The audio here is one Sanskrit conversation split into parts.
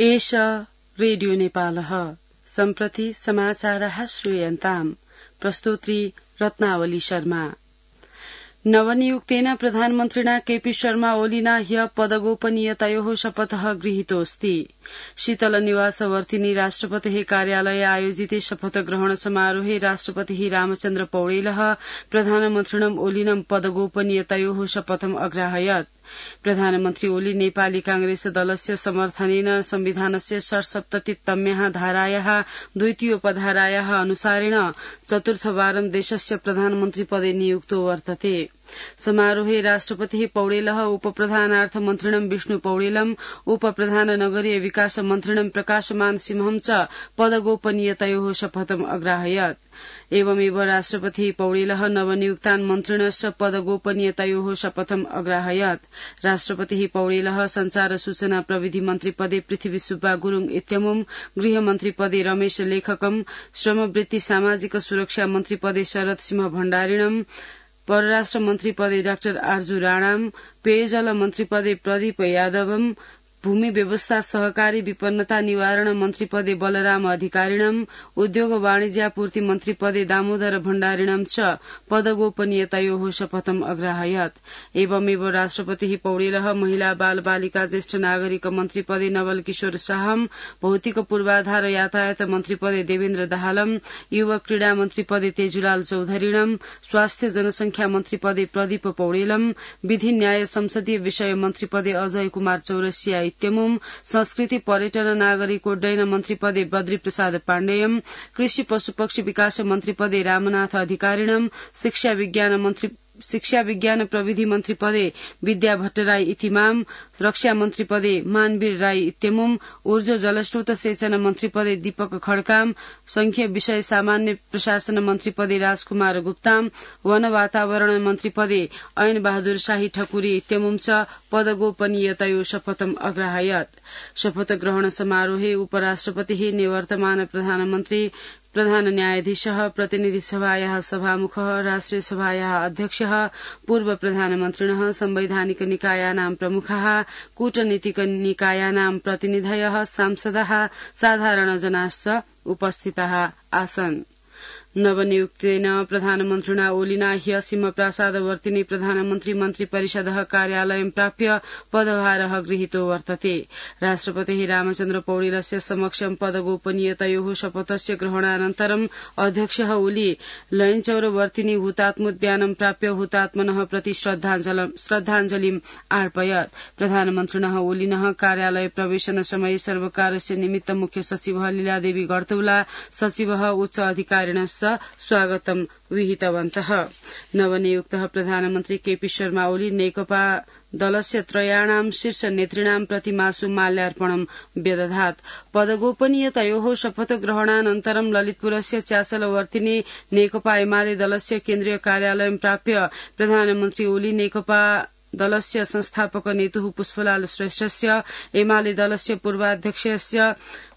एष रेडियो नेपालः सम्प्रति समाचारः श्रूयन्ताम् प्रस्तोत्री रत्नावली शर्मा। नवनियुक्तेन प्रधानमन्त्रिणा केपी शर्मा ओलिना ह्य पदगोपनीयतयोः शपथः गृहीतोऽस्ति। शीतलनिवासवर्तिनी राष्ट्रपतेः कार्यालये आयोजिते शपथग्रहण समारोहे राष्ट्रपतिः रामचन्द्र पौडेलः प्रधानमन्त्रिणम् ओलिनं पदगोपनीयतयोः शपथम् अग्राहयत्। प्रधानमन्त्री ओली नेपाली कांग्रेस दलस्य समर्थनेन संविधानस्य 67तम्याः धारायाः द्वितीयोपधारायाः अनुसारेण चतुर्थवारं देशस्य प्रधानमन्त्री पदे नियुक्तो वर्तते। समारोहे राष्ट्रपतिः पौडेलः उपप्रधानार्थमन्त्रिणं विष्णु पौडेलम् उपप्रधान नगरीय विकास मन्त्रिणं प्रकाशमान सिंहं च पदगोपनीयतयोः शपथम् अग्राहयत्। एवमेव राष्ट्रपतिः पौडेलः नवनियुक्तान् मन्त्रिणश्च पदगोपनीयतयोः शपथम् अग्राहयत्। राष्ट्रपतिः पौडेलः संचार सूचना प्रविधि मन्त्री पदे पृथ्वी सुब्बा गुरूङ इत्यमुम्, गृहमन्त्री पदे रमेश लेखकम्, श्रमवृत्ति सामाजिक सुरक्षा मन्त्री पदे शरद सिंह भण्डारिणम्, परराष्ट्र मन्त्री पदे डाक्टर आर्जू राणाम्, पेयजल मन्त्री पदे प्रदीप यादवम्, भूमि व्यवस्था सहकारी विपन्नता निवारण मन्त्री पदे बलराम अधिकारिणम्, उद्योग वाणिज्यापूर्ति मन्त्री पदे दामोदर भण्डारिणम् च पदगोपनीयतयोः शपथम् अग्राहयत्। एवमेव राष्ट्रपतिः पौडेलः महिला बाल बालिका ज्येष्ठ नागरिक मन्त्री पदे नवल किशोर शाहम्, भौतिक पूर्वाधार यातायात मन्त्री पदे देवेन्द्र दाहालम्, युवक क्रीड़ा मन्त्री पदे तेजुलाल चौधरीणम्, स्वास्थ्य जनसंख्या मन्त्री पदे प्रदीप पौडेलम्, विधि न्याय संसदीय विषय मन्त्री पदे अजय कुमार चौरसिया इत्यमुम्, संस्कृति पर्यटन नागरिक उड्डयन मन्त्री पदे बद्री प्रसाद पाण्डेयम्, कृषि पशुपक्षी विकास मन्त्री पदे रामनाथ अधिकारिणम्, शिक्षा विज्ञान प्रविधि मन्त्री पदे विद्या भट्टराई इतिमाम, रक्षा मन्त्री पदे मानवीर राई इत्यमुम्, ऊर्जा जलस्रोत सेचन मन्त्री पदे दीपक खड्काम, संघीय विषय सामान्य प्रशासन मन्त्री पदे राजकुमार गुप्ताम, वन वातावरण मन्त्री पदे ऐन बहादुर शाही ठकुरी इत्यमुम् च पदगोपनीयतयो शपथम् अग्राहयत्। शपथ ग्रहण समारोहे उपराष्ट्रपतिः निवर्तमान प्रधानमन्त्री, प्रधान न्यायाधीशः, प्रतिनिधि सभायाः सभामुखः, राष्ट्रिय सभायाः अध्यक्षः, पूर्व प्रधानमन्त्रिणः, संवैधानिक निकायानां प्रमुखाः, कूटनीतिक निकायानां प्रतिनिधयः, सांसदाः, साधारणजनाश्च उपस्थिताः आसन्। नवनियुक्तेन प्रधानमन्त्रिणा ओलिना ह्य सिंहप्रासादवर्तिनी प्रधानमन्त्री मन्त्री परिषदः कार्यालयं प्राप्य पदभारः गृहीतो वर्तते। राष्ट्रपतिः रामचन्द्र पौडेलस्य समक्षं पदगोपनीयतयोः शपथस्य ग्रहणानन्तरम् अध्यक्षः ओली लयनचौरवर्तिनी हुतात्मोद्यानं प्राप्य हुतात्मनः प्रति श्रद्धाञ्जलिम् अर्पयत्। प्रधानमन्त्रिणः ओलिनः कार्यालय प्रवेशन समये सर्वकारस्य निमित्त मुख्य सचिवः लीलादेवी गर्तौला, सचिवः उच्च अधिकारिणश्च स्वागतं विहितवन्तः। नवनियुक्तः प्रधानमन्त्री केपी शर्मा ओली नेकपा दलस्य त्रयाणां शीर्ष नेतृणां प्रति मासु माल्यार्पणं व्यदधात्। पदगोपनीयतयोः शपथ ग्रहणानन्तरं ललितपुरस्य च्यासलवर्तिनी नेकपा एमाले दलस्य केन्द्रीय कार्यालयं प्राप्य प्रधानमन्त्री ओली नेकपा दलस्य संस्थापक नेतुः पुष्पलाल श्रेष्ठस्य, एमाले दलस्य पूर्वाध्यक्षस्य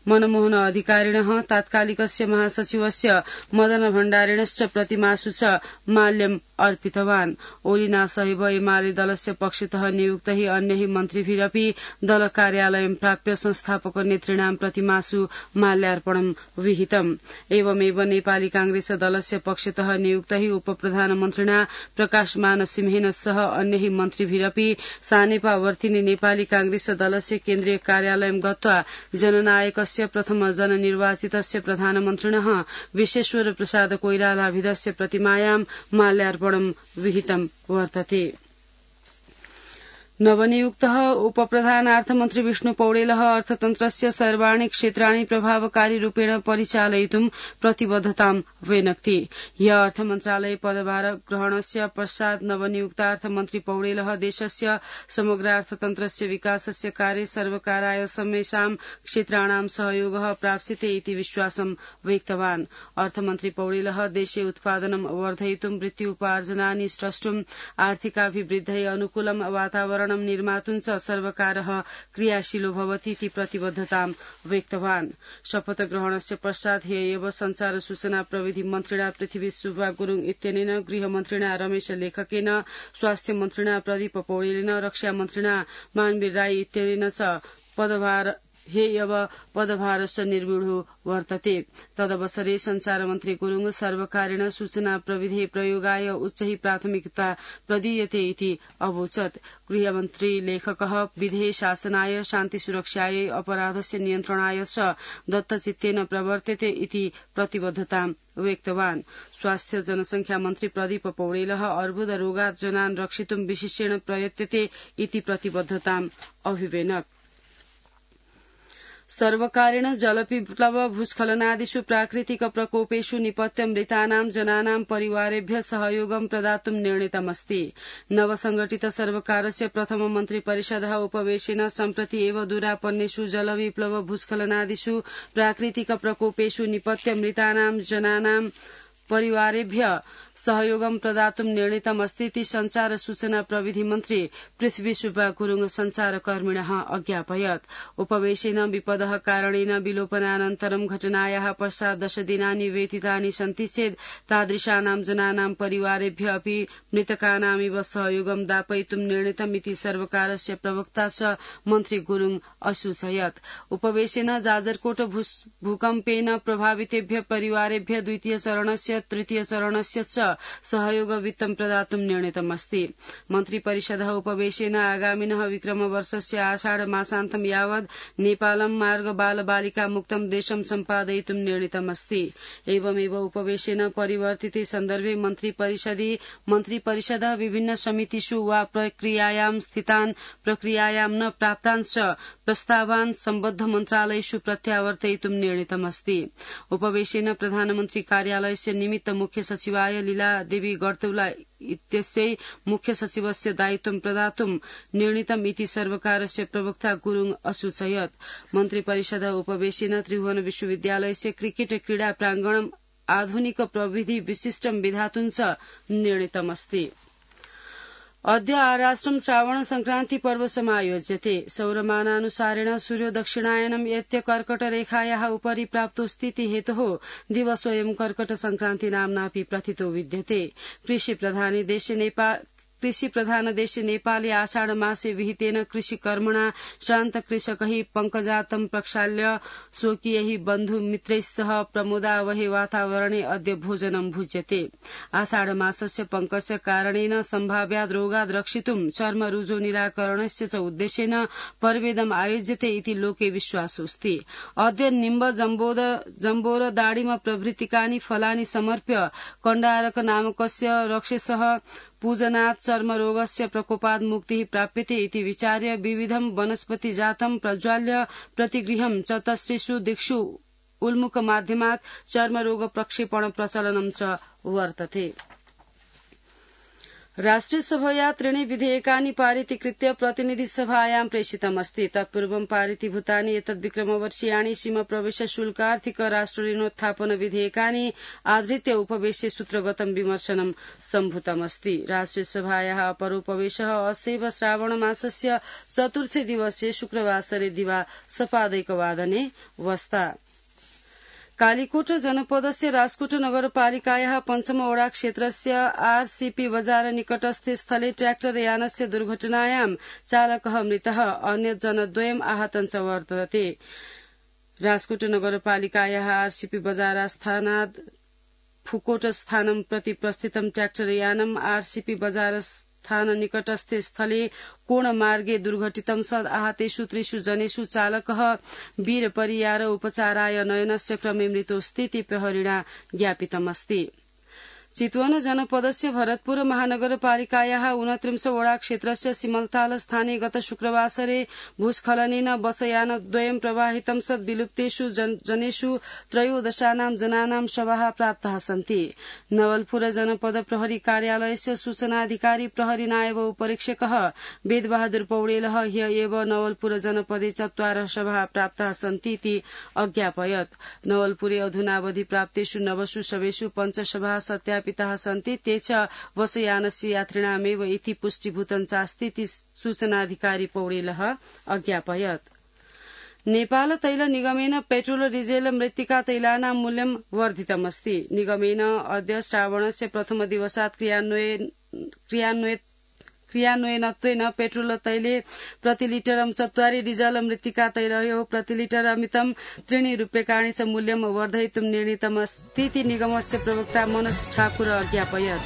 मनमोहन अधिकारिणः, तात्कालिकस्य महासचिवस्य मदन भण्डारिणश्च प्रतिमासु च माल्यम् अर्पितवान्। ओलिना सहित एमाले दलस्य पक्षतः नियुक्तैः अन्यैः मन्त्रिभिरपि दल कार्यालयं प्राप्य संस्थापक नेतृणां प्रतिमासु माल्यार्पणं विहितम्। एवमेव नेपाली कांग्रेस दलस्य पक्षतः नियुक्तैः उपप्रधानमन्त्रिणा प्रकाशमान सिंहेन सह अन्यैः मन्त्रिभिरपि सानेपा वर्तिनी नेपाली कांग्रेस दलस्य केन्द्रीय कार्यालयं गत्वा जननायकस्य प्रथम जननिर्वाचितस्य प्रधानमन्त्रिणः विश्वेश्वर प्रसाद कोइरालाभिधस्य प्रतिमायां माल्यार्पणं विहितं वर्तते। नवनियुक्तः उपप्रधानार्थमन्त्री विष्णु पौडेलः अर्थतन्त्रस्य सर्वाणि क्षेत्राणि प्रभावकारी रूपेण परिचालयितुं प्रतिबद्धतां व्यनक्ति। ह्य अर्थमन्त्रालय पदभार ग्रहणस्य पश्चात् नवनियुक्तार्थमन्त्री पौडेलः देशस्य समग्र अर्थतन्त्रस्य विकासस्य कार्ये सर्वकाराय समेषां क्षेत्राणां सहयोगः प्राप्स्यते इति विश्वासं व्यक्तवान्। अर्थमन्त्री पौडेलः देशे उत्पादनं वर्धयितुं वृत्ति उपार्जनानि स्रष्टुं आर्थिकाभिवृद्धये अनुकूलं वातावरणं निर्मातुं च सर्वकारः क्रियाशीलो भवति इति प्रतिबद्धतां व्यक्तवान्। शपथ ग्रहणस्य पश्चात् ह्येव संचार सूचना प्रविधि मन्त्रिणा पृथ्वी सुब्बा गुरूङ इत्यनेन, गृहमन्त्रिणा रमेश लेखकेन, स्वास्थ्य मन्त्रिणा प्रदीप पौडेलेन, रक्षा मन्त्रिणा मानवीर राई इत्यनेन च हेयव पदभारश्च निर्विढो वर्तते तदवसरे सञ्चारमन्त्री गुरुङ सर्वकारेण सूचना प्रविधि प्रयोगाय उच्चैः प्राथमिकता प्रदीयते इति अवोचत् गृहमन्त्री लेखकः विधेय शासनाय शान्तिसुरक्षायै अपराधस्य नियन्त्रणाय च दत्तचित्तेन प्रवर्तते इति प्रतिबद्धतां व्यक्तवान् स्वास्थ्य जनसंख्या मन्त्री प्रदीप पौडेलः अर्बुदरोगात् जनान् रक्षितुं विशिष्टेन प्रयत्यते इति प्रतिबद्धताम् अभिवेनक् सर्वकारेण जलविप्लव भूस्खलनादिषु प्राकृतिक प्रकोपेषु निपत्य मृतानां जनानां परिवारेभ्यः सहयोगं प्रदातुं निर्णीतमस्ति नवसंगठित सर्वकारस्य प्रथम मन्त्रिपरिषदः उपवेशेन सम्प्रति एव दुरापन्नेषु जलविप्लव भूस्खलनादिषु प्राकृतिक प्रकोपेषु निपत्य मृतानां जनानां परिवारेभ्यः सहयोगं प्रदातुं निर्णीतमस्ति इति संचार सूचना प्रविधि मन्त्री पृथ्वी सुब्बा गुरुङ संचारकर्मिणः अज्ञापयत् उपवेशेन विपदः कारणेन विलोपनानन्तरं घटनायाः पश्चात् 10 दिनानि व्यतीतानि सन्ति चेत् तादृशानां जनानां परिवारेभ्यः अपि मृतकानामिव सहयोगं दापयितुं निर्णीतम् इति सर्वकारस्य प्रवक्ता च मन्त्री गुरुङ असूचयत् उपवेशेन जाजरकोट भूकम्पेन प्रभावितेभ्यः परिवारेभ्यः द्वितीय चरणस्य तृतीय चरणस्य च सहयोग वित्तं प्रदातुं निर्णीतमस्ति मन्त्रिपरिषदः उपवेशेन आगामिनः विक्रमवर्षस्य आषाढ मासान्तं यावत् नेपालं मार्ग बाल बालिका मुक्तं देशं सम्पादयितुं निर्णीतमस्ति एवमेव उपवेशेन परिवर्तिते सन्दर्भे मन्त्रिपरिषदः विभिन्न समितिषु वा प्रक्रियायां स्थितान् प्रक्रियायां न प्राप्तांश्च प्रस्तावान् सम्बद्ध मन्त्रालयेषु प्रत्यावर्तयितुं निर्णीतमस्ति उपवेशेन प्रधानमन्त्री कार्यालयस्य निमित्त मुख्य सचिवाय लीला देवी गर्तौला इत्यस्यै मुख्य सचिवस्य दायित्वं प्रदातुं निर्णीतम् इति सर्वकारस्य प्रवक्ता गुरुङ असूचयत् मन्त्रिपरिषदः उपवेशेन त्रिभुवन विश्वविद्यालयस्य क्रिकेट क्रीडा प्राङ्गणम् आधुनिक प्रविधि विशिष्टं विधातुं च निर्णीतमस्ति अद्य आराष्ट्रं श्रावण संक्रान्ति पर्व समायोज्यते सौरमानानुसारेण सूर्यो दक्षिणायनं यत्य कर्कटरेखायाः उपरि प्राप्तोऽस्तीति हेतोः दिवसोऽयं कर्कट संक्रान्ति नाम्नापि प्रथितो विद्यते कृषि प्रधान देशे नेपाले आषाढ मासे विहितेन कृषिकर्मणा श्रान्त कृषकैः पङ्कजातं प्रक्षाल्य स्वकीयैः बन्धु मित्रैः सह प्रमोदावहे वातावरणे अद्य भोजनं भुज्यते आषाढ मासस्य पङ्कस्य कारणेन सम्भाव्याद् रोगाद् रक्षितुं चर्म रुजो निराकरणस्य च उद्देश्येन पर्वेदम् आयोज्यते इति लोके विश्वासोऽस्ति अद्य निम्ब जम्बोर दाडिम प्रभृतिकानि फलानि समर्प्य कण्डारक नामकस्य रक्षसः पूजनात् चर्मरोगस्य प्रकोपात् मुक्तिः प्राप्यते इति विचार्य विविधं वनस्पति जातं प्रज्वाल्य प्रतिगृहं चतस्रिषु दिक्षु उन्मुख माध्यमात् चर्मरोग प्रक्षेपण प्रचलनं च वर्तते राष्ट्रियसभया त्रीणि विधेयकानि पारितीकृत्य प्रतिनिधिसभायां प्रेषितमस्ति तत्पूर्वं पारितीभूतानि एतद्विक्रमवर्षीयाणि सीमाप्रवेश शुल्कार्थिक राष्ट्रऋणोत्थापन विधेयकानि आधृत्य उपवेशे सूत्रगतं विमर्शनं सम्भूतमस्ति राष्ट्रियसभायाः अपरोपवेशः अस्यैव श्रावणमासस्य चतुर्थे दिवसे शुक्रवासरे दिवा सपादैकवादने वस्ता कालीकोट जनपदस्य राजकोट नगरपालिकायाः पञ्चम वडा क्षेत्रस्य आरसीपी बजार निकटस्थे स्थले ट्रैक्टर यानस्य दुर्घटनायां चालकः मृतः अन्य जनद्वयम् आहतं च वर्तते राजकोट नगरपालिकायाः आरसीपी बजारस्थानात् फुकोट स्थानं प्रति प्रस्थितं ट्रैक्टर यानम् आरसीपी बजार स्थान निकटस्थे स्थले कोणमार्गे दुर्घटितं सद् आहतेषु 3 जनेषु चालकः वीरपरियार उपचाराय नयनस्य क्रमे मृतोऽस्तीति प्रहरिणा ज्ञापितमस्ति चितवन जनपदस्य भरतपुर महानगरपालिकायाः 29 वडा क्षेत्रस्य सिमलताल स्थाने गत शुक्रवासरे भूस्खलनेन बसयानद्वयं प्रवाहितं सद् विलुप्तेषु जनेषु 13 जनानां शवाः प्राप्ताः सन्ति नवलपुर जनपद प्रहरी कार्यालयस्य सूचनाधिकारी प्रहरी नायब उपरीक्षकः वेदबहादुर पौडेलः ह्य एव नवलपुर जनपदे 4 शवाः प्राप्ताः सन्ति इति अज्ञापयत् नवलपुरे अधुनावधि प्राप्तेषु 9 शवेषु 5 शवाः सत्यापिताः सन्ति ते च बसयानस्य यात्रिणामेव इति पुष्टिभूतं चास्ति इति सूचनाधिकारी पौडेलः अज्ञापयत् नेपाल तैल निगमेन पेट्रोल डिजेल मृत्तिका तैलानां मूल्यं वर्धितमस्ति निगमेन अद्य श्रावणस्य प्रथम दिवसात् क्रियान्वयनत्वेन पेट्रोल तैले प्रति लिटरं 40 डीजल मृत्तिका तैलयो प्रति लिटरमितं 3 रूप्यकाणि च मूल्यं वर्धयितुं निर्णीतम् स्थिति निगमस्य प्रवक्ता मनोज ठाकुर ज्ञापयत्।